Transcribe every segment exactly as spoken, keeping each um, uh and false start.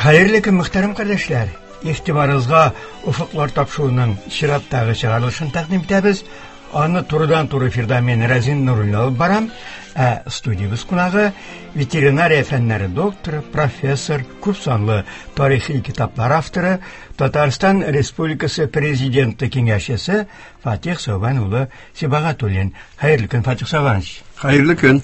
Хәерле көн, мөхтәрәм кардәшләр. Игътибарыгызга Офыклар тапшыруының чираттагы чыгарылышын тәкъдим итәбез. Аны турыдан-туры эфирда мин Разин Нуруллин алып барам. Ә студиябез кунагы ветеринария фәннәре докторы, профессор, күп санлы тарихи китаплар авторы, Татарстан Республикасы Президенты киңәшчесе Фатих Сәүбән улы Сибагатуллин. Хәерле көн, Фатих Сәүбәнович. Хәерле көн.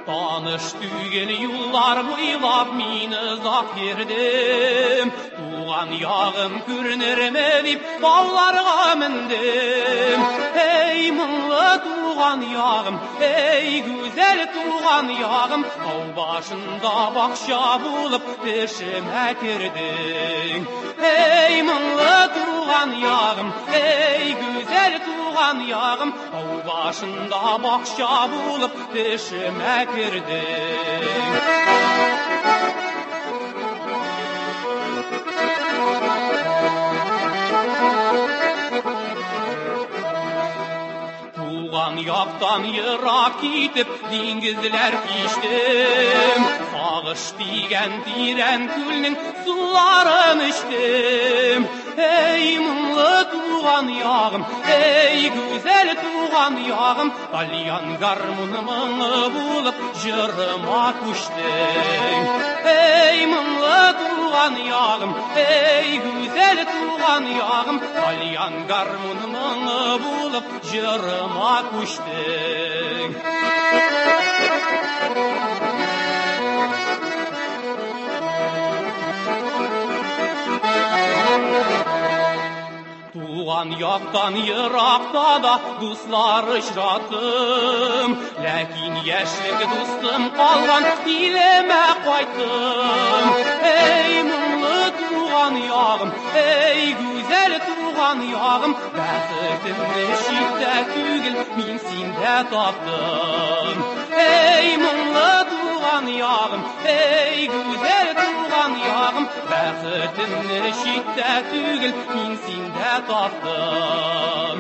Таныш түгел юллар буйлап мин озак йөрдем. Туган ягым күренерме дип тауларга мендем. Эй, моңлы туган ягым, эй, гүзәл туган ягым, тау башында бакча булып төшемә кердең. Эй, моңлы туган ягым, эй, гүзәл туган ягым, тау башында бакча булып төшемә кердең. Туган яктан ерак китеп, диңгезләр кичтем. Сагыш дигән тирән күлнең суларын эчтем. Эй, моңлы туган ягым, эй, гүзәл туган ягым, тальян гармуны моңы булып җырыма күчтең. Эй, моңлы туган ягым, эй, гүзәл туган ягым, тальян гармуны моңы булып җырыма күчтең. Туган яктан еракта да дуслар очраттым, ләкин яшьлек дустым калган илемә кайттым. Эй, моңлы туган ягым, эй, гүзәл туган ягым, бәхетемне читтә түгел, мин синдә таптым. Эй, моңлы туган ягым, эй, гүзәл туган ягым, бәхетемне читтә түгел, мин синдә таптым.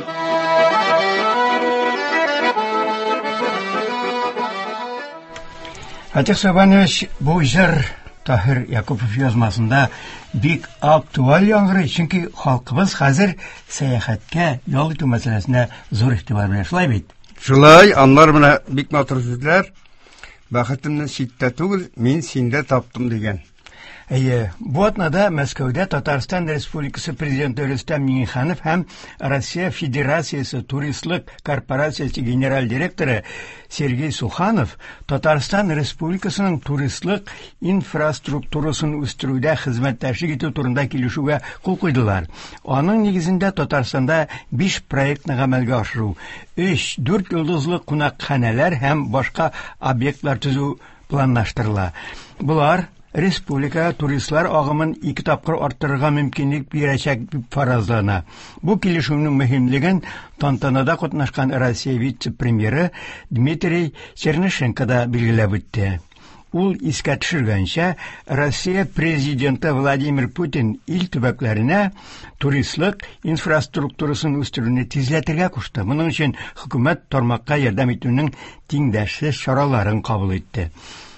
Фатих Сәүбәнович, бу җыр Таһир Якупов язмасында бик актуаль яңгырый, чөнки халкыбыз хәзер сәяхәткә, ял итү мәсьәләсенә зур игътибар бирә. Шулай бит? Шулай, анлар менә бик матур сүзләр. Бәхетемне читтә түгел, мин синдә таптым дигән. Әйе, бу атнада Мәскәүдә Татарстан Республикасы Президенты Рөстәм Миңнеханов һәм Россия Федерациясе Туристлык корпорациясе генераль директоры Сергей Суханов Татарстан Республикасының туристлык инфраструктурасын үстерүдә хезмәттәшлек итү турында килешүгә кул куйдылар. Аның нигезендә Татарстанда биш проектны гамәлгә ашыру, өч, дүрт йолдызлы кунакханәләр һәм башка объектлар төзү планлаштырыла. Болар республика туристлар агымын ике тапкыр арттырырга мөмкинлек бирәчәк дип фаразлана. Бу килешүнең мөһимлеген тантанада катнашкан Россия вице-премьеры Дмитрий Чернышенко да билгеләп үтте. Ул искә төшергәнчә, Россия президенты Владимир Путин ил төбәкләренә туристлык инфраструктурасын үстерүне тизләтергә кушты. Моның өчен хөкүмәт тармакка ярдәм итүнең тиңдәшсез чараларын кабул итте.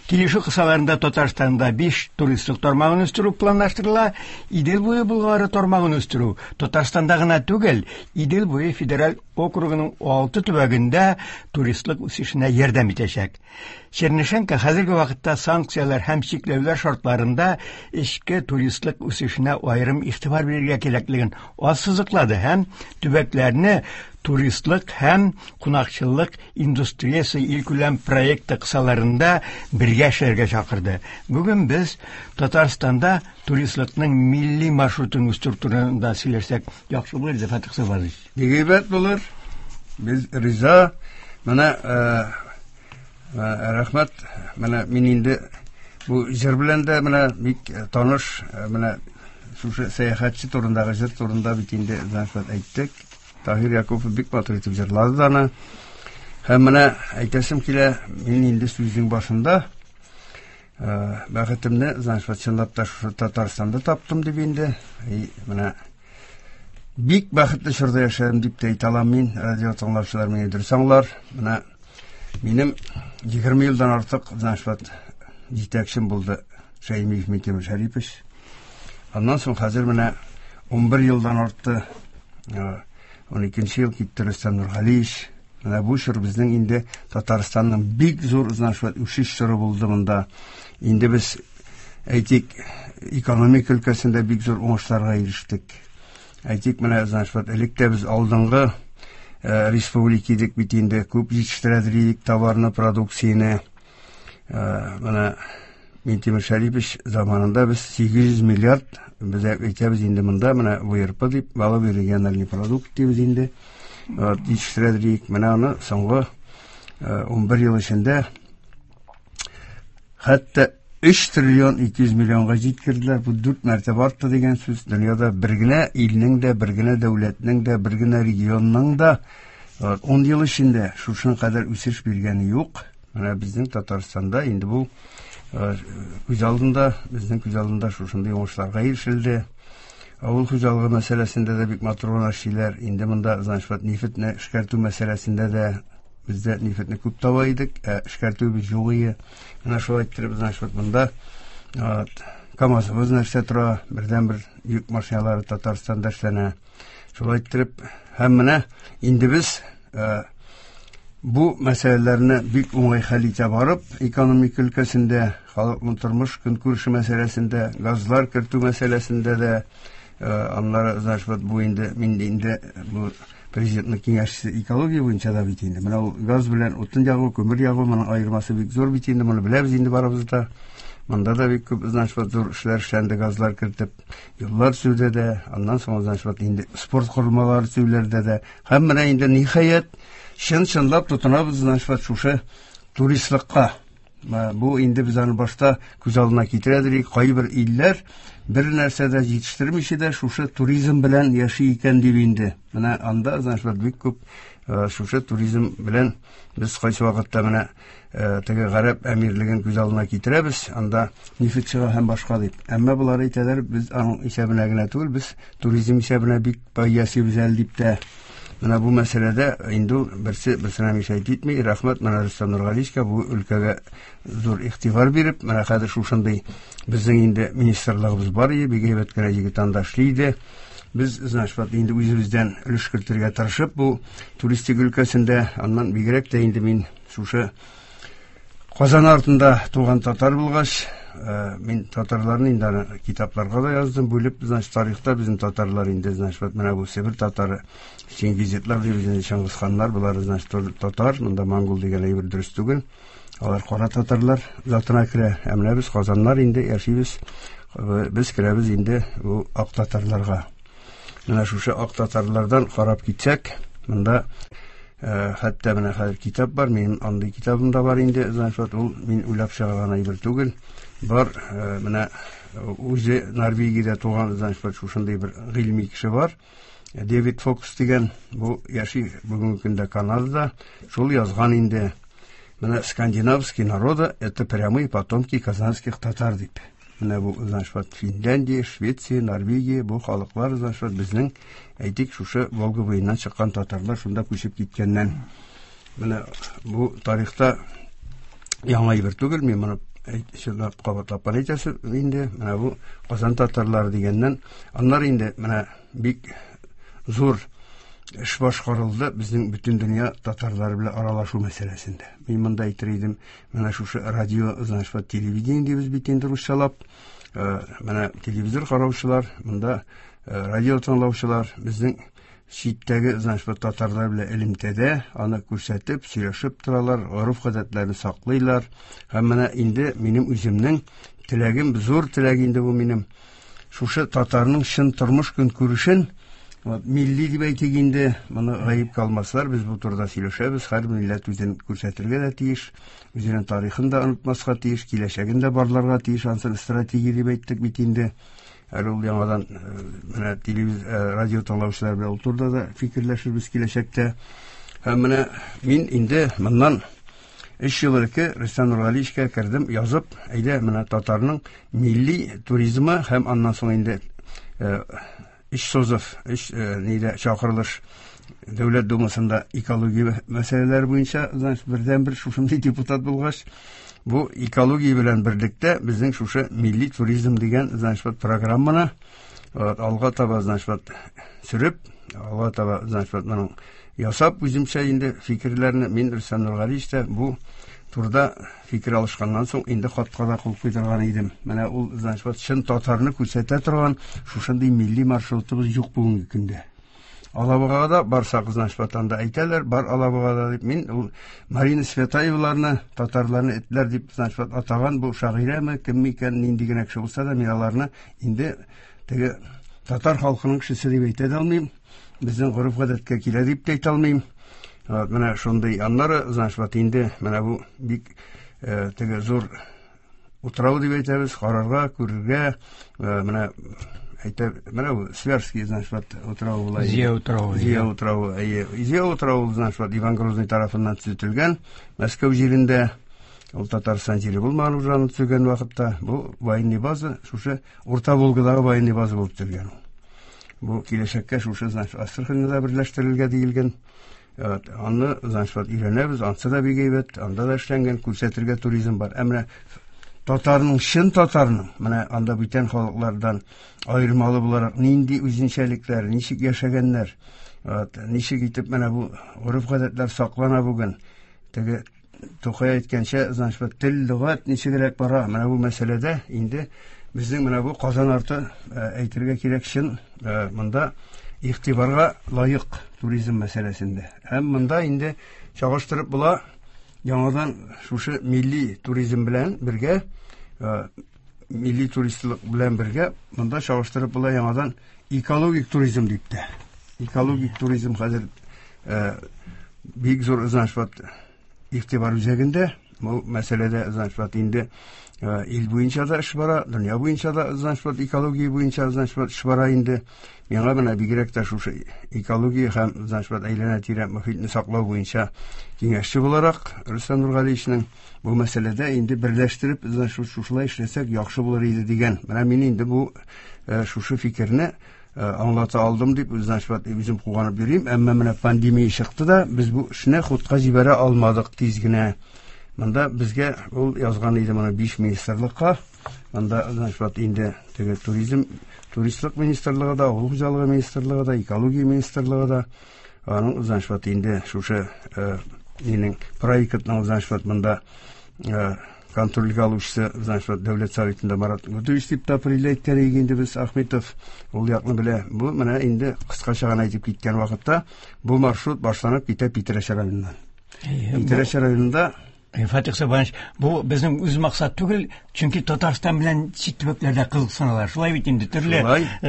Килешү кысаларында Татарстанда биш туристлык тармагын үстерү планлаштырыла. Идел буе Болгары тармагын үстерү Татарстанда гына түгел, Идел буе федераль округының алты төбәгендә туристлык үсешенә ярдәм итәчәк. Чернышенко хәзерге вакытта санкцияләр һәм чикләүләр шартларында эчке туристлык үсешенә аерым игътибар бирергә кирәклеген ассызыклады һәм төбәкләрне туристлык һәм кунакчыллык индустриясе илкүләм проекты кысаларында бергә эшләргә чакырды. Бүген без Татарстанда туристлыкның милли маршрутын үстерү турында сөйләшсәк, яхшы булыр иде, Фатих Сәүбәнович. Бик әйбәт булыр. Без риза. Менә, рәхмәт. Менә мин инде бу җыр белән дә менә бик таныш, менә шушы сәяхәтче турындагы җыр турында бит инде рәхмәт әйттек. Таһир Якупов бик матур итеп җырлады да аны. Һәм менә әйтәсем килә, мин инде сүзнең башында, бәхетемне, значит, чынлап та шушы Татарстанда таптым дип инде. И, менә бик бәхетле чорда яшәдем дип тә әйтә алам мин. Радио тыңлаучылар мине дөрес аңлар. Менә Минем егерме елдан артык, значит, вот җитәкчем булды Шәймиев Минтимер Шәрипович. Аннан соң хәзер менә унбер елдан артты, ун икенче ел китте Рөстәм Нургалиевич. Менә бу чор безнең инде Татарстанның бик зур, значит, вот үсеш чоры булды монда. Инде без, әйтик, экономика өлкәсендә бик зур уңышларга ирештек. Әйтик, менә, значит, вот элек тә без алдынгы республика идек бит инде, күп җитештерә идек товарны, продукцияне. Менә Минтимер Шәрипович заманында без сигез йөз миллиард, без әйтәбез инде монда, менә вэ эр пэ дип, валовый региональный продукт дибез инде, җитештерә идек. Менә аны соңгы унбер ел эчендә хәтта өч триллион ике йөз миллионга җиткерделәр. Бу дүрт мәртәбә артты дигән сүз. Дөньяда бер генә илнең дә, бер генә дәүләтнең дә, бер генә регионның да ун ел эчендә шушының кадәр үсеш биргәне юк. Менә безнең Татарстанда инде бу күз алдында, безнең күз алдында шушындый уңышларга ирешелде. Авыл хуҗалыгы мәсьәләсендә дә бик матур гына эшлиләр. Инде монда, значит, вот нефтьне эшкәртү мәсьәләсендә дә бездә нефтьне күп таба идек, ә эшкәртүебез юк иде. Менә шулай иттереп, значит, вот монда, вот, КАМАЗыбыз нәрсә тора, бердәнбер йөк машиналары Татарстанда эшләнә. Шулай иттереп, һәм менә инде без, э, бу мәсьәләләрне бик уңай хәл итә барып, экономика өлкәсендә, халыкның тормыш көнкүреше мәсьәләсендә, газлар кертү мәсьәләсендә дә, э, аннары, значит, вот бу инде, мин инде бу президентның киңәшчесе экология буенча да бит инде. Менә ул газ белән утын ягу, күмер ягу, моның аермасы бик зур бит инде, моны беләбез инде барыбыз да. Монда да бик күп, значит, вот зур эшләр эшләнде, газлар кертеп, юллар төзүдә дә, аннан соң, значит, вот инде спорт корылмалары төзүләрдә дә. Һәм менә инде ниһаять чын-чынлап тотынабыз, значит, вот шушы туристлыкка. Бу инде без аны башта күз алдына китерә идек, кайбер илләр бер нәрсә дә җитештермичә дә шушы туризм белән яши икән дип инде. Менә анда, значит, вот бик күп, э, шушы туризм белән без кайсы вакытта менә, э, теге Гарәп әмирлеген күз алдына китерәбез, анда нефть чыга һәм башка дип. Әмма болар әйтәләр, без аның исәбенә генә түгел, без туризм исәбенә бик бай яшибез әле дип тә. Менә бу мәсьәләдә инде ул берсе берсенә мишәйт итми. Рәхмәт менә Рөстәм Нургалиевичка бу өлкәгә зур игътибар биреп, менә хәзер шушындый безнең инде министрлыгыбыз бар иде, бик әйбәт кенә егет анда эшли иде. Без, значит, вот инде үзебездән өлеш кертергә тырышып, бу туристик өлкәсендә, аннан бигрәк тә инде мин шушы Казан артында туган татар булгач, э, мин татарларны инде аны китапларга да яздым, бүлеп, значит, тарихта безнең татарлар инде, значит, вот менә бу Себер татары, Чингизидлар дибез инде, Чыңгызханнар, болар, значит, татар, монда монгол дигән әйбер дөрес түгел. Алар кара татарлар затына керә. Ә менә без казаннар инде яшибез, э, без керәбез инде бу ак татарларга. Менә шушы ак татарлардан карап китсәк, монда, э, хәтта менә хәзер китап бар, минем андый китабым да бар инде, значит, вот ул мин уйлап чыгарган әйбер түгел. Бар, э, менә үзе Норвегиядә туган, значит, вот шушындый бер гыйльми кеше бар. Дэвид Фокс дигән, бу яши бүгенге көндә Канадада, шул язган инде. Менә скандинавские народы это прямые потомки казанских татар дип. Менә бу, значит, вот Финляндия, Швеция, Норвегия, бу халыклар, значит, вот безнең, әйтик, шушы Волга буеннан чыккан татарлар шунда күчеп киткәннән. Менә бу тарихта яңа әйбер түгел, мин моны чынлап кабатлап кына әйтәсе инде. Менә бу Казан татарлары дигәннән, аннары инде менә бик зур эш башкарылды безнең бөтен дөнья татарлары белән аралашу мәсьәләсендә. Мин монда әйтер идем, менә шушы радио, значит, вот телевидение дибез бит инде русчалап, э, менә телевизор караучылар, монда, э, радио тыңлаучылар безнең читтәге, значит, вот татарлар белән элемтәдә, аны күрсәтеп, сөйләшеп торалар, гореф-гадәтләрне саклыйлар. Һәм менә инде минем үземнең теләгем, зур теләк инде бу минем, шушы татарның чын тормыш көнкүрешен, вот, милли дип әйтик инде, моны гаепкә алмаслар, без бу турыда сөйләшәбез, һәр милләт үзен күрсәтергә дә тиеш, үзенең тарихын да онытмаска тиеш, киләчәген дә барларга тиеш, ансын стратегия дип әйттек бит инде. Әле ул яңадан, э, менә телевиз-, э, радио тыңлаучылар белән ул турыда да фикерләшербез киләчәктә. Һәм менә мин инде моннан өч ел элек Рөстәм Нургалиевичка кердем, язып, әйдә, менә татарның милли туризмы һәм аннан соң инде, э, өч созыв, өч, э, нидә чакырылыш Дәүләт Думасында экология мәсьәләләре буенча, значит, бердән-бер шушындый депутат булгач, бу экология белән берлектә безнең шушы милли туризм дигән, значит, вот программаны вот, алга таба, значит, вот, сөреп, алга таба, значит, вот, моның ясап үземчә инде фикерләрне мин Рөстәм Нургалиевич та бу турыда фикер алышканнан соң инде хатка да кул куйдырган идем. Менә ул, значит, вот, чын татарны күрсәтә торган шушындый милли маршрутыбыз юк бүгенге көндә. Алабугага да барсак, значит, вот, анда әйтәләр, бар Алабугада дип. Мин ул Марина Светаеваларны, татарларны этләр дип, значит, вот, атаган бу шагыйрәме, кем икән, нинди генә кеше булса да, мин аларны инде теге татар халкының кешесе дип әйтә дә алмыйм. Безнең гореф-гадәткә килә дип тә әйтә алмыйм. Вот, менә шундый аннары, значит, вот, инде менә бу бик э, теге зур утрау дип әйтәбез, карарга, күрергә, э, менә әйтә, менә бу Свияжский, значит, вот, утравы була. Зия утравы. Зия утравы, әйе. Зия утравы, значит, вот, Иван Грозный тарафыннан төзетелгән Мәскәү җирендә. Ул Татарстан җире булмаган уже аны төзегән вакытта. Бу военный база, шушы Урта Волгадагы военный база булып төзелгән ул. Бу киләчәккә шушы, значит, Астраханьда берләштерелгән диелгән. Вот, аны, значит, вот, өйрәнәбез, ансы да бик әйбәт, анда да эшләнгән, күрсәтергә туризм бар. Ә менә татарның, чын татарның, менә анда бүтән халыклардан аермалы буларак нинди үзенчәлекләр, ничек яшәгәннәр, вот, ничек итеп менә бу гореф-гадәтләр саклана бүген. Теге Тукай әйткәнчә, значит, вот, тел, лөгать ничегрәк бара. Менә бу мәсьәләдә инде безнең менә бу Казан арты әйтергә кирәк чын монда игътибарга лаек туризм мәсьәләсендә. Һәм монда инде чагыштырып була яңадан шушы милли туризм белән бергә, милли туристлык белән бергә монда чагыштырып була яңадан экологик туризм дип тә. Экологик туризм хәзер бик зур, значит, вот, игътибар үзәгендә. Бу мәсьәләдә, значит, вот, инде ил буенча да эш бара, дөнья буенча да, значит, вот, экология буенча, значит, вот, эш бара инде. Миңа менә бигрәк тә шушы экология һәм, значит, вот, әйләнә-тирә мохитне саклау буенча киңәшче буларак Рөстәм Нургалиевичның бу мәсьәләдә инде берләштереп, значит, шушылай эшләсәк яхшы булыр иде дигән. Менә мин инде бу шушы фикерне аңлата алдым дип, значит, вот, үзем куанып йөрим. Әмма менә пандемия чыкты да, без бу эшне хутка җибәрә алмадык тиз генә. Монда безгә ул язган иде моны биш министрлыкка. Монда, значит, вот, инде теге туризм, туристлык министрлыгы да, авыл хуҗалыгы министрлыгы да, экология министрлыгы да, аның, значит, вот, инде шушы нинең проектның, значит, вот, монда контрольгә алучысы, значит, вот, Дәүләт Советында Марат Гудович дип тә определяет инде без Ахметов ул якны белә. Бу менә инде кыскача гына әйтеп киткән вакытта бу маршрут башланып китә Питрәч районыннан. Питрәч районында Фатих Сабанович, бу безнең үз максат түгел, чөнки Татарстан белән чит төбәкләрдә кызыксыналар. Шулай бит инде төрле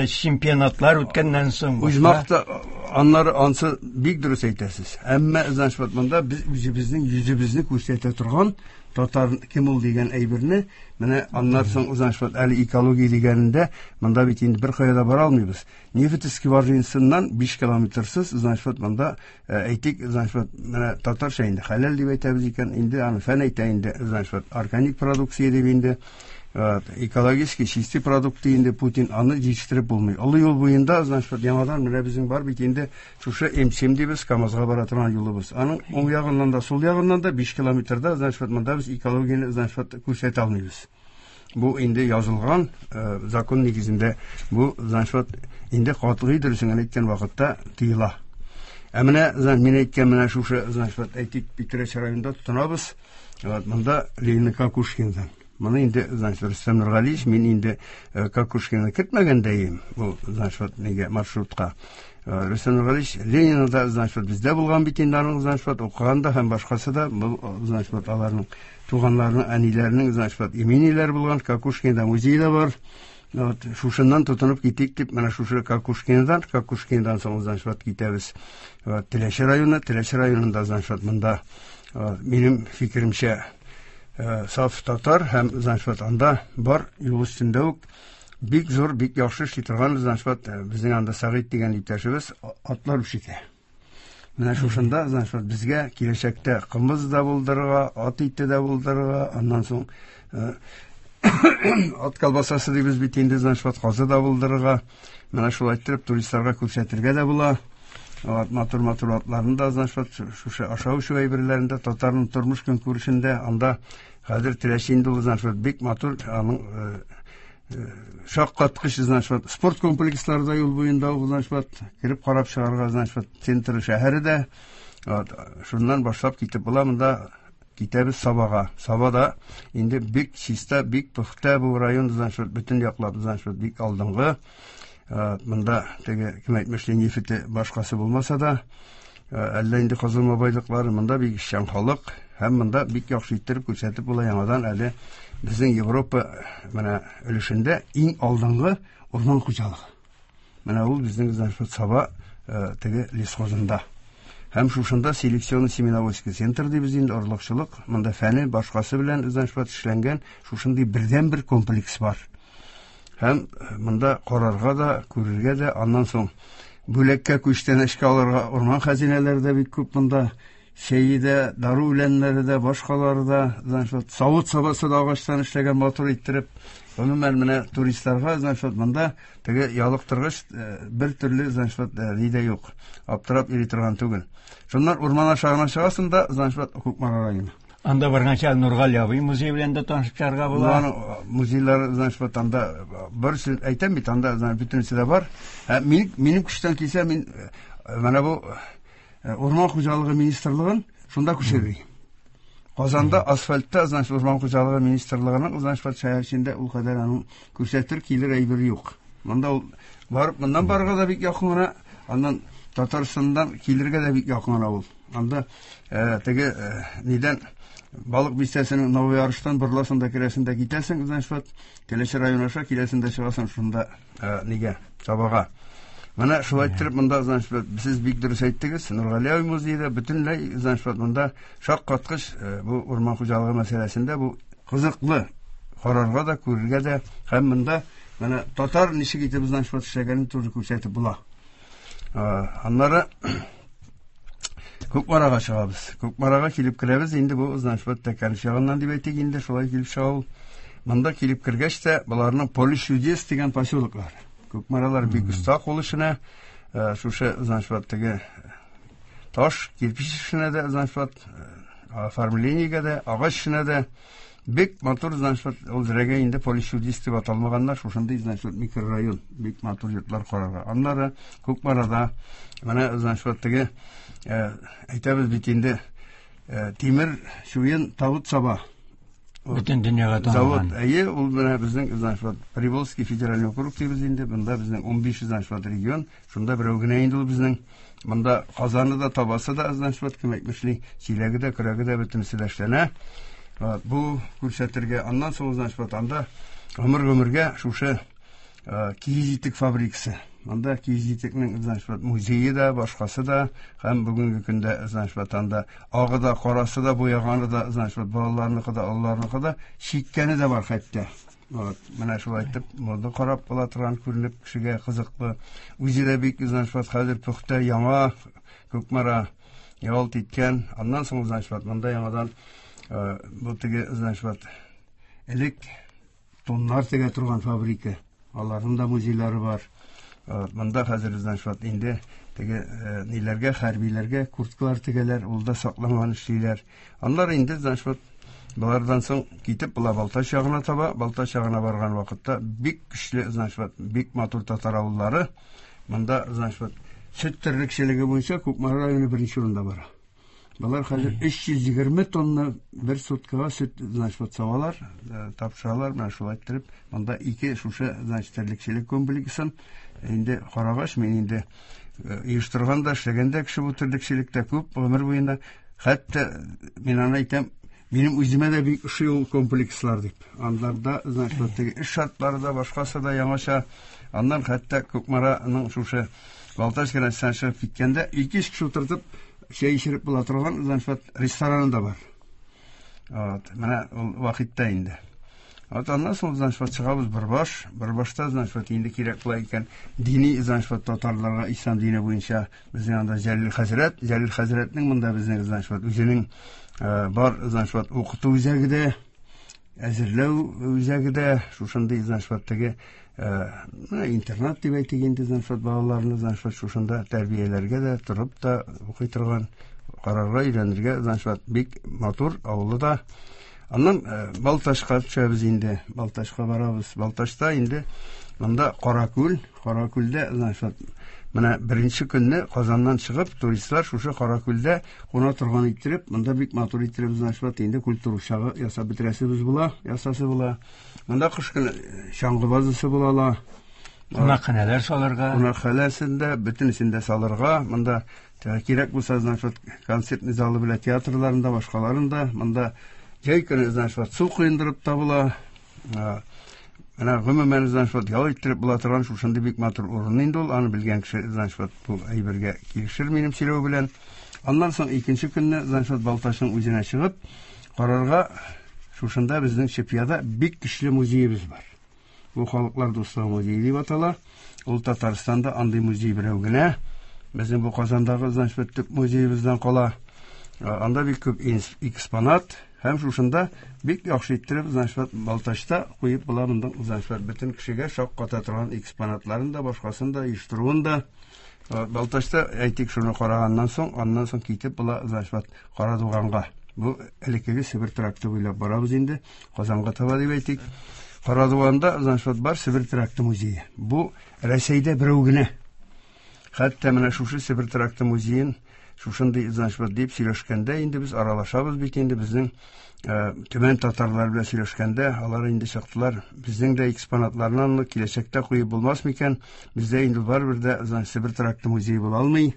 чемпионатлар үткәннән соң. Үз максат аннары ансы бик дөрес әйтәсез. Әмма, значит, вот, монда без үзебезнең йөзебезне күрсәтә торган татар кем ул дигән әйберне, менә аннан соң, значит, вот, әле экология дигәнендә монда бит инде бер кая да бара алмыйбыз. Нефть скважинасыннан биш километрсыз, значит, вот, монда әйтик, значит, вот, менә татарча инде хәләл дип әйтәбез икән, инде аны фән әйтә инде, значит, вот, органик продукция дип инде, экологически чистый продукты инде Путин аны җитештереп булмый. Олы юл буенда, значит, вот, яңадан менә безнең бар бит инде шушы эм семь дибез, КАМАЗга бара торган юлыбыз. Аның уң ягыннан да, сул ягыннан да биш километрда, значит, вот, монда без экологияне, значит, вот, күрсәтә алмыйбыз. Бу инде язылган закон нигезендә бу, значит, вот, инде катгый дөресен әйткән вакытта тыела. Ә менә, значит, мин әйткән менә шушы, значит, вот, әйтик, Питрәч районында тотынабыз. Вот, монда Ленин Кокушкиндан. Моны инде, значит, Рөстәм Нургалиевич, мин инде Кокушкинны кертмәгәндәем, бу, значит, вот, нигә маршрутка. Рөстәм Нургалиевич Ленинны да, значит, вот, бездә булган бит инде аның, значит, вот, укыган да һәм башкасы да, бу, значит, вот, аларның туганнарының, әниләренең, значит, вот, имениләре булган, Кокушкинда музей да бар. Вот, шушыннан тотынып китик дип, менә шушы Кокушкиндан, Кокушкиндан соң, значит, вот, китәбез. Вот, Теләче районы, Теләче районында, значит, вот, монда, вот, минем фикеремчә, саф татар һәм, значит, вот, анда бар юл өстендә үк бик зур, бик яхшы эшли торган, значит, вот, безнең анда Сәгыйть дигән иптәшебез атлар үрчетә. Менә шушында, значит, вот, безгә киләчәктә кымыз да булдырырга, ат ите дә булдырырга, аннан соң ат колбасасы дибез бит инде, значит, вот, казы да булдырырга, менә шулай иттереп туристларга күрсәтергә дә була. Вот, матур-матур атларын да, значит, шушы ашау-эчү әйберләрендә, татарның тормыш көнкүрешендә, анда хәзер Теләче инде ул, значит, бик матур, аның шаккаткыч, значит, спорт комплекслары да юл буенда, значит, кереп карап чыгарга, значит, центр шәһәре дә. Вот, шуннан башлап китеп була монда. Китәбез Сабага. Сабада инде бик чиста, бик пөхтә бу район, значит, бөтен яклап, значит, бик алдынгы. Монда теге кем әйтмешли нефте башкасы булмаса да, әллә инде казылма байлыклары, монда бик эшчән халык һәм монда бик яхшы иттереп күрсәтеп була яңадан әле безнең Европа менә өлешендә иң алдынгы урман хуҗалыгы. Менә ул безнең, значит, Саба теге лесхозында. Һәм шушында селекционно-семеноводческий центр дибез инде, орлыкчылык, монда фәне башкасы белән, значит, эшләнгән шушындый бердәнбер комплекс бар. Һәм монда карарга да, күрергә дә, аннан соң бүләккә күчтәнәчкә алырга урман хәзинәләре дә бик күп монда. Чәе дә, дару үләннәре дә, башкалары да, значит, савыт-сабасы да агачтан эшләгән матур иттереп. Гомумән менә туристларга, значит, монда теге ялыктыргыч бер төрле, значит, ни дә юк. Аптырап йөри торган түгел. Шуннан урман аша гына чыгасың да, значит, Кукмара районы. Анда барганча Нургали абый музее белән дә танышып чыгарга була. Аның музейлары, значит, анда бер сүз әйтәм бит, анда, значит, бөтенесе дә бар. Мин, минем көчтән килсә, мин менә бу Урман хуҗалыгы министрлыгын шунда күчерер. Казанда асфальтта, значит, Урман хуҗалыгы министрлыгының, значит, шәһәр эчендә ул кадәр аның күрсәтер килер әйбер юк. Монда ул барып, моннан барырга да бик якын гына, аннан Татарстаннан килергә дә бик якын гына ул. Анда теге нидән Балык бистәсенең Новый Арыштан борыласың да керәсең дә китәсең, значит, Теләче районы аша киләсең дә чыгасың шунда нигә, Сабага. Менә шулай иттереп монда, значит, сез бик дөрес әйттегез, Нургали абый музее бөтенләй, значит, монда шаккаткыч бу урман хуҗалыгы мәсьәләсендә бу кызыклы карарга да, күрергә дә, һәм монда менә татар ничек итеп, значит, эшләгәнен тоже күрсәтеп була. Аннары Кукмарага чыгабыз. Кукмарага килеп керәбез, инде бу, значит, Тәкәнеш ягыннан дип әйтик инде, шулай килеп чыга ул. Монда килеп кергәч тә, боларның Поле чудес дигән поселоклар. Кукмаралар бик оста кул эшенә, шушы, значит, теге таш, кирпич эшенә дә, значит, оформлениегә дә, агач эшенә дә бик матур, значит, ул зрәгә инде Поле чудес дип аталмаганнар, шушындый, значит, микрорайон, бик матур йортлар карарга. Аннары Кукмарада менә, значит, теге әйтәбез бит инде, тимер чуен тавыт саба. Бөтен дөньяга танылган. Завод, әйе, ул менә безнең, значит, Приволжский федеральный округ дибез инде, монда безнең унбиш, значит, регион, шунда берәү генә инде ул безнең. Монда казаны да, табасы да, значит, кем әйтмешли, чиләге дә, көрәге дә бөтенесе дә эшләнә. Бу күрсәтергә, аннан соң, значит, анда гомер-гомергә шушы киез итек фабрикасы. Монда киез итекнең, значит, музее да, башкасы да, һәм бүгенге көндә, значит, анда агы да, карасы да, буяганы да, значит, балаларныкы да, олыларныкы да, чиккәне дә бар хәтта. Вот, менә шулай итеп, монда карап була торган күренеп кешегә кызыклы. Үзе дә бик, значит, хәзер пөхтә, яңа Кукмара ялт иткән. Аннан соң, значит, монда яңадан бу теге, значит, элек тоннар тегә торган фабрика. Аларның да музейлары бар. Монда хәзер, значит, инде теге ниләргә, хәрбиләргә курткалар тегәләр, ул да сакланган эшлиләр. Аннары инде, значит, болардан соң китеп була Балтач ягына таба. Балтач ягына барган вакытта бик көчле, значит, бик матур татар авыллары. Монда, значит, сөт терлекчелеге буенча Кукмара районы беренче урында бара. Болар хәзер өч йөз егерме тонна бер суткага сөт, значит, савалар, тапшыралар. Менә шулай иттереп, монда ике шушы, значит, терлекчелек комплексын инде карагач, мин инде оештырган да, эшләгән дә кеше бу терлекчелектә күп гомер буена. Хәтта мин аны әйтәм, минем үземә дә бик ошый ул комплекслар дип. Андарда, значит, теге эш шартлары да, башкасы да яңача. Аннан хәтта Кукмараның шушы Балтач границасына чыгып киткәндә ике йөз кеше утыртып чәй эчереп була торган, значит, рестораны да бар. Вот, менә ул вакытта инде. Вот аннан соң, значит, чыгабыз Бөрбаш. Бөрбашта, значит, инде кирәк була икән дини, значит, татарларга ислам дине буенча безнең анда Җәлил хәзрәт, Җәлил хәзрәтнең монда безнең, значит, үзенең бар, значит, укыту үзәге дә, әзерләү үзәге дә шушындый, значит, теге интернат дип әйтик инде, значит, балаларны, значит, шушында тәрбияләргә дә, торып та укый торган, карарга, өйрәнергә, значит, бик матур авылы да. Аннан Балтачка төшәбез инде. Балтачка барабыз. Балтачта инде монда Каракүл, Каракүлдә, значит, менә беренче көнне Казаннан чыгып, туристлар шушы Каракүлдә куна торган иттереп, монда бик матур иттереп, значит, инде культура учагы ясап бетерәсебез була, ясасы була. Монда кыш көне чаңгы базасы була ала. Кунакханәләр салырга. Кунакханәсен дә, бөтенесен дә салырга. Монда кирәк булса, значит, концертный залы белән театрларында, башкаларында, монда җәй көне, значит, су коендырып та була. Менә гомумән, значит, ял иттереп була торган шушындый бик матур урын инде ул. Аны белгән кеше, значит, бу әйбергә килешер минем сөйләү белән. Аннан соң икенче көнне, значит, Балтачның үзенә чыгып карарга, шушында безнең Чепьяда бик көчле музеебыз бар. Бу Халыклар дуслыгы музее дип атала. Ул Татарстанда андый музей берәү генә. Безнең бу Казандагы, значит, төп музеебыздан кала. Анда бик күп экспонат. Һәм шушында бик яхшы иттереп, значит, Балтачта куеп була монда, значит, бөтен кешегә шакката торган экспонатларын да, башкасын да, оештыруын да. Балтачта әйтик, шуны караганнан соң, аннан соң китеп була, значит, Карадуганга. Бу элеккеге Себер тракты буйлап барабыз инде, Казанга таба дип әйтик. Карадуганда, значит, бар Себер тракты музее. Бу Рәсәйдә берәү генә. Хәтта менә шушы Себер тракты музеен шушындый, значит, дип сөйләшкәндә инде без аралашабыз бит инде, безнең Төмән татарлар белән сөйләшкәндә, алар инде чыктылар, безнең дә экспонатларны киләчәктә куеп булмас микән, бездә инде барыбер дә, значит, Себер тракты музее була алмый.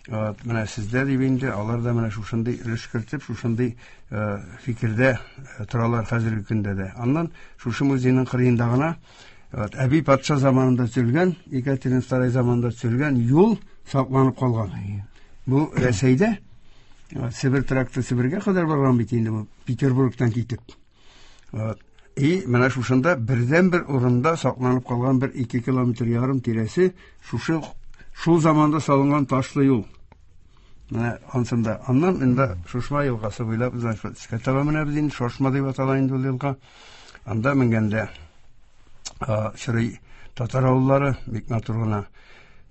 Менә сездә дип инде, алар да менә шушындый өлеш кертеп, шушындый фикердә торалар хәзерге көндә дә. Аннан шушы музейның кырыенда гына Әби патша заманында төзелгән, Екатерина Вторая заманында төзелгән юл сакланып калган. Бу Рәсәйдә Себер тракты Себергә кадәр барган бит инде бу, Петербургтан китеп. И менә шушында бердән-бер урында сакланып калган бер ике километр ярым тирәсе шушы шул заманда салынган ташлы юл. Менә ансында. Аннан инде Шушма елгасы буйлап, значит, өскә таба менәбез инде, Шошма дип атала инде ул елга. Анда менгәндә чырый татар авыллары бик матур гына,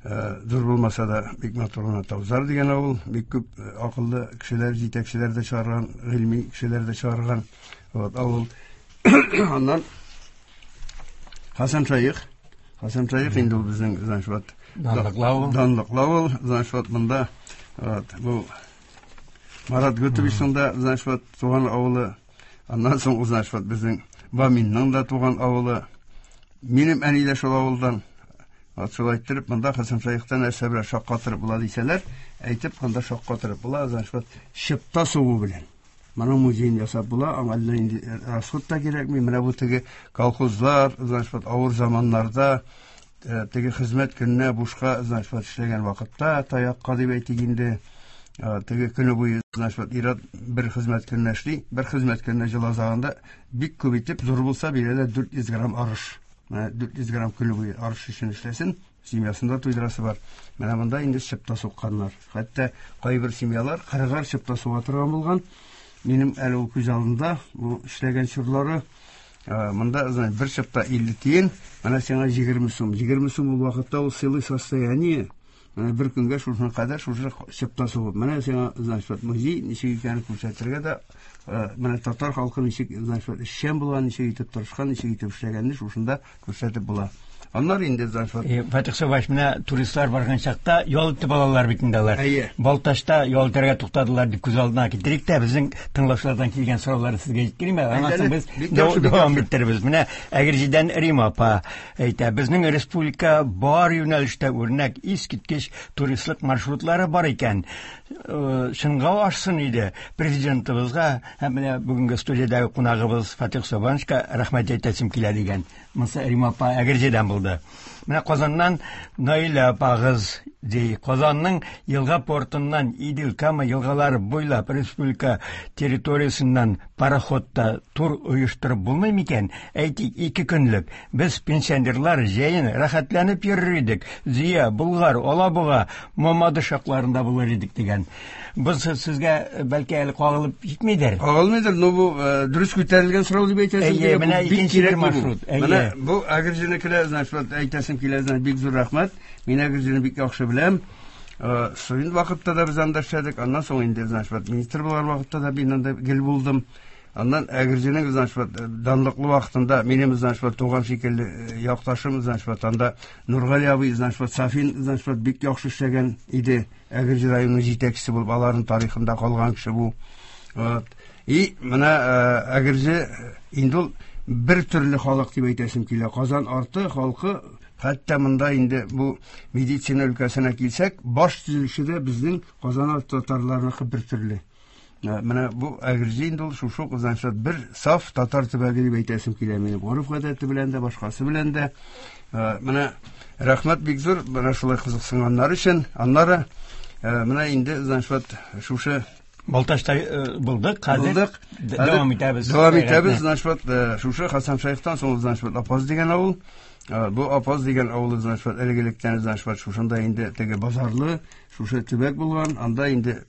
зур булмаса да бик матур гына Таузар дигән авыл, бик күп акыллы кешеләр, җитәкчеләр дә чыгарган, гыйльми кешеләр дә чыгарган вот авыл. Аннан Хасан Шәех, Хасан Шәех инде ул безнең, значит, данлыклы авыл. Данлыклы авыл, значит, монда вот бу Марат Гутовичның да, значит, туган авылы. Аннан соң, значит, безнең Баминның да туган авылы. Минем әни дә шул авылдан. Вот шулай иттереп, монда Хасан Шәехтән нәрсә белән шаккатырып була дисәләр, әйтеп, монда шаккатырып була, значит, чыпта сугу белән. Моның музеен ясап була, аңа әллә инде расход та кирәкми. Менә бу теге колхозлар, значит, авыр заманнарда, теге хезмәт көненә бушка, значит, эшләгән вакытта, таякка дип әйтик инде, теге көне буе, значит, ир-ат бер хезмәт көненә эшли, бер хезмәт көненә җыл азагында бик күп итеп, зур булса бирә дә дүрт йөз грамм арыш. Менә дүрт йөз грамм көне буе арыш өчен эшләсен, семьясында туйдырасы бар. Менә монда инде чыпта сукканнар. Хәтта кайбер семьялар кырыгар чыпта суга торган булган. Минем әле ул күз алдында бу эшләгән чорлары. Монда, значит, бер чыпта илле тиен, менә сиңа егерме сум. Егерме сум ул вакытта ул целый состояние. Менә бер көнгә шушы кадәр шушы чыпта сугып. Менә сиңа, значит, музей ничек икәнен күрсәтергә дә, менә татар халкы ничек, значит, эшчән булган, ничек итеп тырышкан, ничек итеп эшләгәнне шушында күрсәтеп була. Аннар инде, значит, Фатих Сабаевич, менә туристлар барган чакта ял итеп алалар бит инде алар. Балтачта ял итәргә туктадылар дип күз алдына китерик тә, безнең тыңлаучылардан килгән сорауларны сезгә җиткерим әле. Аннан соң без дәвам иттербез. Менә Әгерҗедән Рима апа әйтә, безнең республика бар юнәлештә үрнәк, искиткеч туристлык маршрутлары бар икән. Чынга ашсын иде президентыбызга һәм менә бүгенге студиядәге кунагыбыз Фатих Сабановичка рәхмәт әйтәсем килә дигән. Монысы Рима апа Әгерҗедән булды. Менә Казаннан Наилә апагыз ди. Казанның елга портыннан Идел Кама елгалары буйлап республика территориясеннән пароходта тур оештырып булмый микән? Әйтик, ике көнлек. Без пенсионерлар җәен рәхәтләнеп йөрер идек. Зөя, Болгар, Алабуга, Мамадыш якларында булыр идек дигән. Бу сезгә бәлки әле кагылып җитмидер. Кагылмыйдыр, но бу дөрес күтәрелгән сорау дип әйтәсем килә. Менә икенче бер маршрут. Менә бу Әгерҗенекеләр, значит, әйтәсем килә, значит, бик зур рәхмәт. Мин Әгерҗене бик яхшы беләм. Студент вакытта да без анда эшләдек. Аннан соң инде, значит, министр булган вакытта да мин анда гел булдым. Аннан Әгерҗенең, значит, данлыклы вакытында минем, значит, туган шикелле якташым, значит, анда Нургали абый, значит, Сафин, значит, бик яхшы эшләгән иде. Әгерҗе районының җитәкчесе булып, аларның тарихында калган кеше бу. Вот. И менә Әгерҗе инде ул бер төрле халык дип әйтәсем килә. Казан арты халкы, хәтта монда инде бу медицина өлкәсенә килсәк, баш төзелеше дә безнең Казан арты татарларыныкы бер төрле. Менә бу Әгерҗе инде ул шушы ук, значит, бер саф татар төбәге дип әйтәсем килә минем. Гореф-гадәте белән дә, башкасы белән дә. Менә рәхмәт бик зур, менә шулай кызыксынганнар өчен. Аннары менә инде, значит, шушы Балтачта булдык, хәзер дәвам итәбез. Дәвам итәбез, значит, шушы Хасан Шәехтан соң, значит, Апаз дигән авыл. Бу Апаз дигән авыл, значит, элек-электән, значит, шушында инде теге базарлы, шушы төбәк булган. Анда инде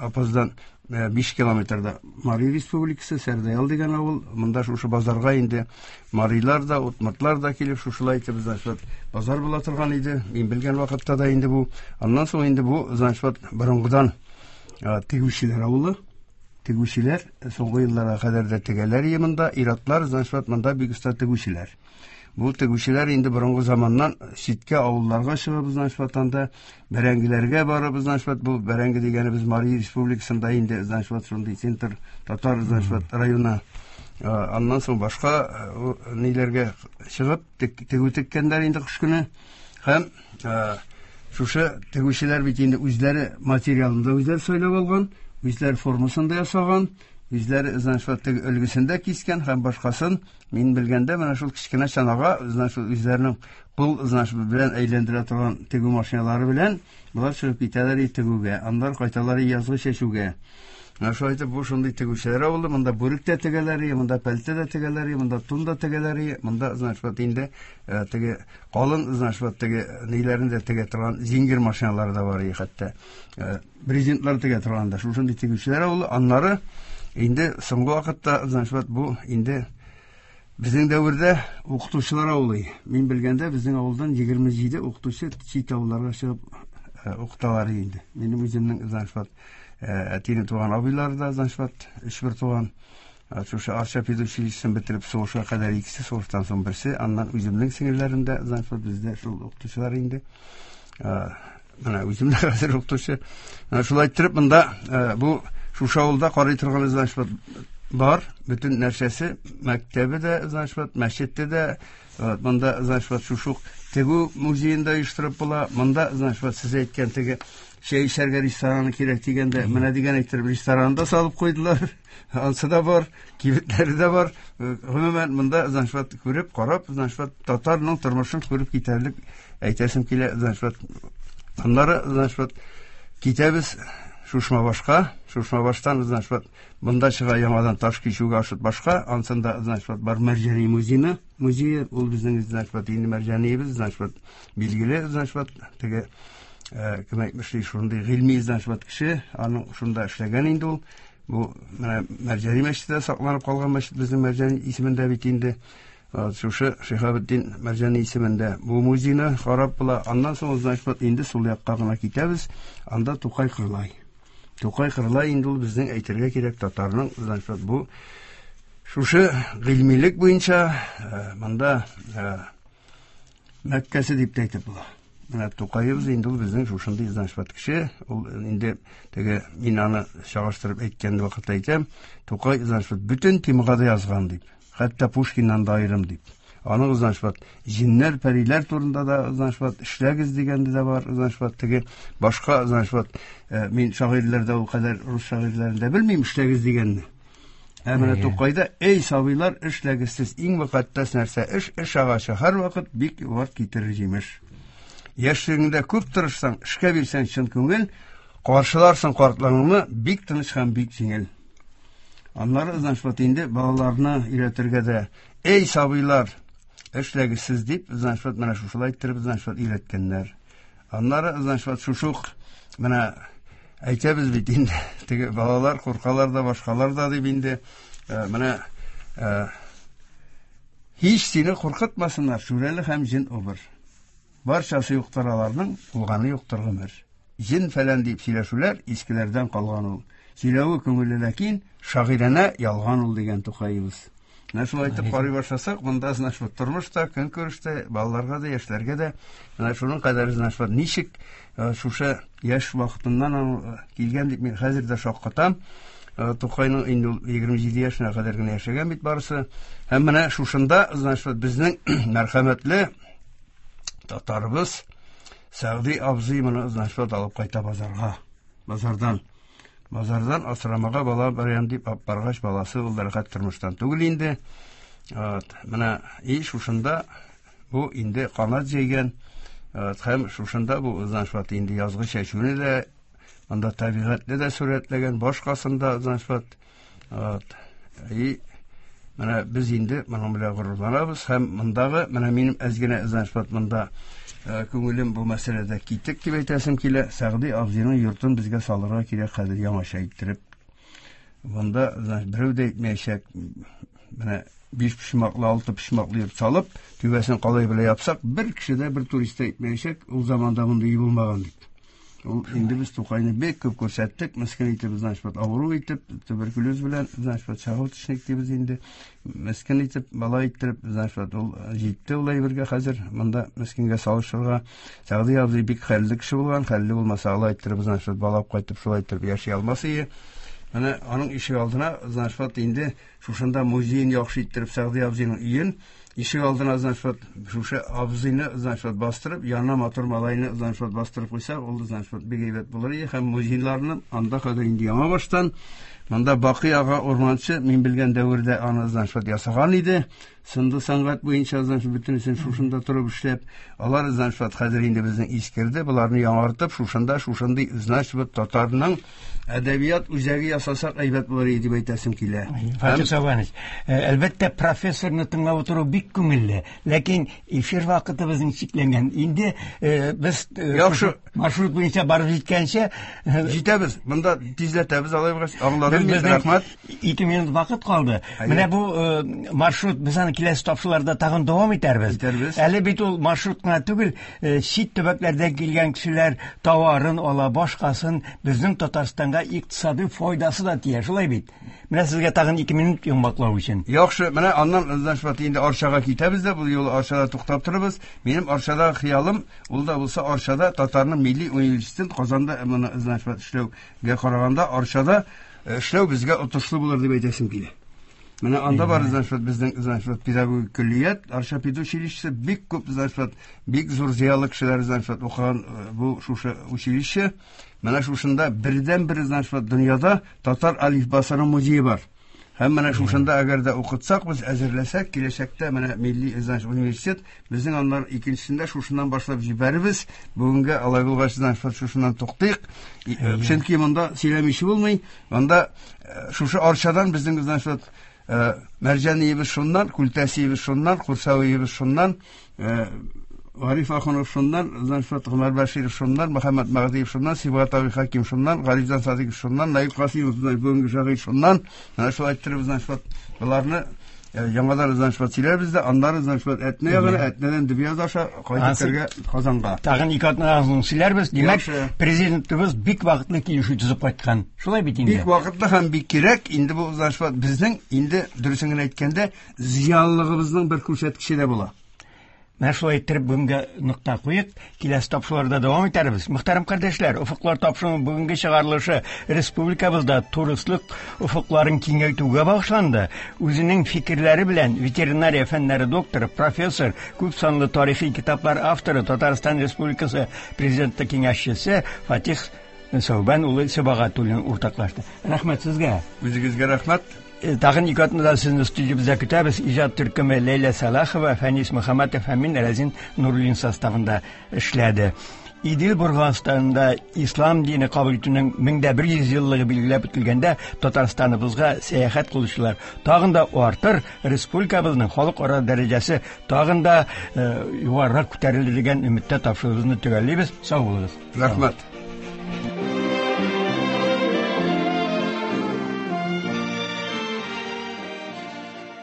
Апаздан биш километрда Мари Республикасы, Сәрдәял дигән авыл. Монда шушы базарга инде марилар да, удмуртлар да килеп, шушылай итеп, значит, базар була торган иде. Мин белгән вакытта да инде бу. Аннан соң инде бу, значит, борынгыдан тегүчеләр авылы. Тегүчеләр соңгы елларга кадәр дә тегәләр иде монда. Иратлар, значит, монда бик оста тегүчеләр. Бу тегүчеләр инде борынгы заманнан читкә авылларга чыгып, значит, анда бәрәңгеләргә барып, значит, бу бәрәңге дигәнебез Мари Республикасында инде, значит, шундый центр татар, значит, районы. Аннан соң башка ниләргә чыгып тегү теккәннәр инде кыш көне. Һәм шушы тегүчеләр бит инде үзләре материалын да үзләре сайлап алган, үзләре формасын да ясаган, үзләре, значит, теге өлгесен дә кискән һәм башкасын. Мин белгәндә менә шул кечкенә чанага, значит, үзләренең кул, значит, белән әйләндерә торган тегү машиналары белән болар чыгып китәләр тегүгә, аннары кайталар язгы чәчүгә. Менә шулай итеп бу шундый тегүчеләр авылы. Монда бүрек тә тегәләр, монда пәлтә дә тегәләр, монда тун да тегәләр, монда, значит, инде теге калын, значит, теге ниләрен дә тегә торган зингер машиналары да бар, хәтта брезентлар тегә торган да. Шушындый тегүчеләр авылы. Аннары инде соңгы вакытта, значит, бу инде безнең дәвердә укытучылар авылы. Мин белгәндә безнең авылдан егерме җиде укытучы чит авылларга чыгып укыталар инде. Минем үземнең, значит, әтинең туган абыйлары да, значит, өч бер туган. Шушы Арча педучилищесын бетереп сугышка кадәр икесе, сугыштан соң берсе. Аннан үземнең сеңелләрем дә, значит, бездә шул укытучылар инде. Менә үзем дә хәзер укытучы. Менә шулай иттереп монда бу шушы авылда карый торган, значит, бар бөтен нәрсәсе, мәктәбе дә, значит, мәчете дә, монда, значит, шушы тегү музеен да оештырып була. Монда, значит, сез әйткән теге чәй эчәргә рестораны кирәк дигәндә, менә дигән әйттереп ресторан да салып куйдылар. Ансы да бар, кибетләре дә бар. Гомумән, монда, значит, күреп, карап, значит, татарның тормышын күреп китәрлек әйтәсем килә, значит. Аннары, значит, китәбез Шушмабашка. Шушмабаштан, значит, монда чыга яңадан таш кичүгә ашып башка. Ансында, значит, бар Мәрҗани музее, музее, ул безнең, значит, инде Мәрҗаниебез, значит, билгеле, значит, теге кем әйтмешли, шундый гыйльми, значит, кеше, аның шунда эшләгән инде ул. Бу менә Мәрҗани мәчете сакланып калган мәчет безнең Мәрҗани исемендә бит инде. Шушы Шиһабетдин Мәрҗани исемендә бу музейны карап була. Аннан соң, значит, инде сул якка гына китәбез. Анда Тукай Кырлай. Тукай Кырлай инде ул безнең әйтергә кирәк татарның, значит, бу шушы гыйльмилек буенча монда Мәккәсе дип тә әйтеп була. Менә Тукаебыз инде ул безнең шушындый, значит, кеше. Ул инде теге мин аны чагыштырып әйткән вакытта әйтәм, Тукай, значит, бөтен темага да язган дип, хәтта Пушкиннан да аерым дип. Аның, значит, җиннәр, пәриләр турында да, значит, эшләгез дигәнде дә бар, значит, теге башка, значит, мин шагыйрьләрдә ул кадәр рус шагыйрьләрен дә белмим эшләгез дигәнне. Ә менә Тукайда эй сабыйлар, эшләгез сез, иң мөкатдәс нәрсә эш, эш агачы һәрвакыт бик вакыт китерер җимеш. Яшьлегеңдә күп тырышсаң, эшкә бирсәң чын күңел, каршыларсың картлыгыңны бик тыныч һәм бик җиңел. Аннары, значит, инде балаларны өйрәтергә дә эй сабыйлар, эшләгез сез дип, значит, менә шушылай иттереп, значит, өйрәткәннәр. Аннары, значит, шушы ук менә әйтәбез бит инде, теге балалар куркалар да, башкалар да дип инде, менә һич сине куркытмасыннар шүрәле һәм җен убыр. Барчасы юктыр аларның, булганы юктыр гомер. Җен фәлән дип сөйләшүләр искеләрдән калган ул. Сөйләве күңелле, ләкин шагыйрәнә ялган ул дигән Тукаебыз. Менә шулай итеп карый башласак, монда, значит, тормышта, көнкүрештә, балаларга да, яшьләргә дә менә шуның кадәр, значит, ничек шушы яшь вакытыннан килгән дип мин хәзер дә шаккатам. Тукайның инде ул егерме җиде яшенә кадәр генә яшәгән бит барысы. Һәм менә шушында, значит, безнең мәрхәмәтле татарыбыз Сәгъди абзый моны, значит, алып кайта базарга. Базардан. Базардан асрамага бала барам дип алып баргач, баласы ул рәхәт тормыштан түгел инде. Вот, менә и шушында бу инде канат җәйгән. Вот, һәм шушында бу, значит, инде язгы чәчүне дә, анда табигатьне дә сурәтләгән, башкасын да, значит, вот, и менә без инде моның белән горурланабыз. Һәм мондагы менә минем әз генә, значит, монда күңелем бу мәсьәләдә китек дип әйтәсем килә. Сәгъди абзыйның йортын безгә салырга кирәк хәзер яңача иттереп. Монда, значит, берәү дә әйтмәячәк. Менә биш почмаклы, алты почмаклы йорт салып, түбәсен калай белән япсак, бер кеше дә, бер турист та әйтмәячәк, ул заманда мондый өй булмаган дип. Ул инде без Тукайны бик күп күрсәттек, мескен итеп, значит, авыру итеп, туберкулез белән, значит, чагылтышник дибез инде. Мескен итеп, бала иттереп, значит, ул җитте ул әйбергә хәзер монда мескенгә салышырга. Сәгъди абзый бик хәлле кеше булган, хәлле булмаса алай иттереп, значит, бала кайтып шулай иттереп яши алмас иде. Менә аның ишек алдына, значит, инде шушында музеен яхшы иттереп Сәгъди абзыйның өен ишек алдына, значит, шушы абзыйны, значит, бастырып, янына матур малайны, значит, бастырып куйсак, ул, значит, бик әйбәт булыр иде. Һәм музейларны анда хәзер инде яңа баштан, монда Бакый ага Урманчы, мин белгән дәвердә аны, значит, ясаган иде. Сынды сәнгать буенча, значит, бөтенесен шушында торып эшләп, алар, значит, хәзер инде безнең искерде, боларны яңартып, шушында, шушындый, значит, татарның әдәбият үзәге ясасак әйбәт булыр иде дип әйтәсем килә. Фатих Сабанович, әлбәттә, профессорны тыңлап утыру бик күңелле, ләкин эфир вакытыбызның чикләнгән. Инде без яхшы маршрут буенча барып җиткәнче җитәбез. Монда тизләтәбез, алай булгач, аңладым мин, рәхмәт. Ике минут вакыт калды. Менә бу маршрут без аны киләсе тапшыруларда тагын дәвам итәрбез. Итәрбез. Әле бит ул маршрут кына түгел, чит төбәкләрдән килгән кешеләр товарын ала, башкасын безнең Татарстанга икътисади файдасы да тия, шулай бит. Менә сезгә тагын ике минут йомгаклау өчен. Яхшы, менә аннан, значит, инде Арчага китәбез дә, бу юлы Арчада туктап торабыз. Минем Арчадагы хыялым, ул да булса Арчада татарның милли университетын Казанда моны, значит, эшләүгә караганда Арчада эшләү безгә отышлы булыр дип әйтәсем килә. Менә анда бар, значит, безнең, значит, педагогик көллият, Арча педучилищесы, бик күп, значит, бик зур зыялы кешеләр, значит, укыган бу шушы училище. Менә шушында бердән-бер, значит, дөньяда татар алифбасының музее бар. Һәм менә шушында әгәр дә укытсак, без әзерләсәк, киләчәктә менә милли, значит, университет безнең аннар икенчесендә шушыннан башлап җибәрербез. Бүгенгә алай булгач, значит, шушыннан туктыйк. Чөнки монда сөйләмичә булмый. Монда шушы Арчадан безнең, значит, Мәрҗәниебез шуннан, Күлтәсиебез шуннан, Курсавиебез шуннан, Гариф Ахунов шуннан, значит, Гомәр Бәширов шуннан, Мөхәммәд Мәһдиев шуннан, Сибгат абый Хәким шуннан, Галимҗан Садыйков шуннан, Наил Касыймов, бүгенге шагыйрь шуннан. Менә шулай иттереп, значит, боларны яңадан, значит, сөйләрбез дә, аннары, значит, Әтнә ягына, Әтнәдән Дөбьяз аша кайтып керергә Казанга. Тагын ике атнадан соң сөйләрбез. Димәк, президентыбыз бик вакытлы килешү төзеп кайткан. Шулай бит инде. Бик вакытлы һәм бик кирәк. Инде бу, значит, безнең инде дөресен генә әйткәндә, зыялылыгыбызның бер күрсәткече дә була. Менә шулай иттереп бүгенге нокта куйык, киләсе тапшыруларда дәвам итәрбез. Мөхтәрәм кардәшләр, Офыклар тапшыруының бүгенге чыгарылышы республикабызда туристлык офыкларын киңәйтүгә багышланды. Үзенең фикерләре белән ветеринария фәннәре докторы, профессор, күп санлы тарихи китаплар авторы, Татарстан Республикасы президенты киңәшчесе Фатих Сәүбән улы Сибагатуллин уртаклашты. Рәхмәт сезгә. Үзегезгә рәхмәт. Тагын ике атнадан сезне студиябездә көтәбез. Иҗат төркеме Ләйлә Сәлахова, Фәнис Мөхәммәтов һәм мин, Рәзин Нуруллин составында эшләде. Идел Болгарстанда ислам дине кабул итүнең мең дә бер йөз еллыгы билгеләп үтелгәндә Татарстаныбызга сәяхәт кылучылар тагын да артыр, республикабызның халыкара дәрәҗәсе тагын да югарырак күтәрелер дигән өметтә тапшыруыбызны төгәллибез. Сау булыгыз. Рәхмәт.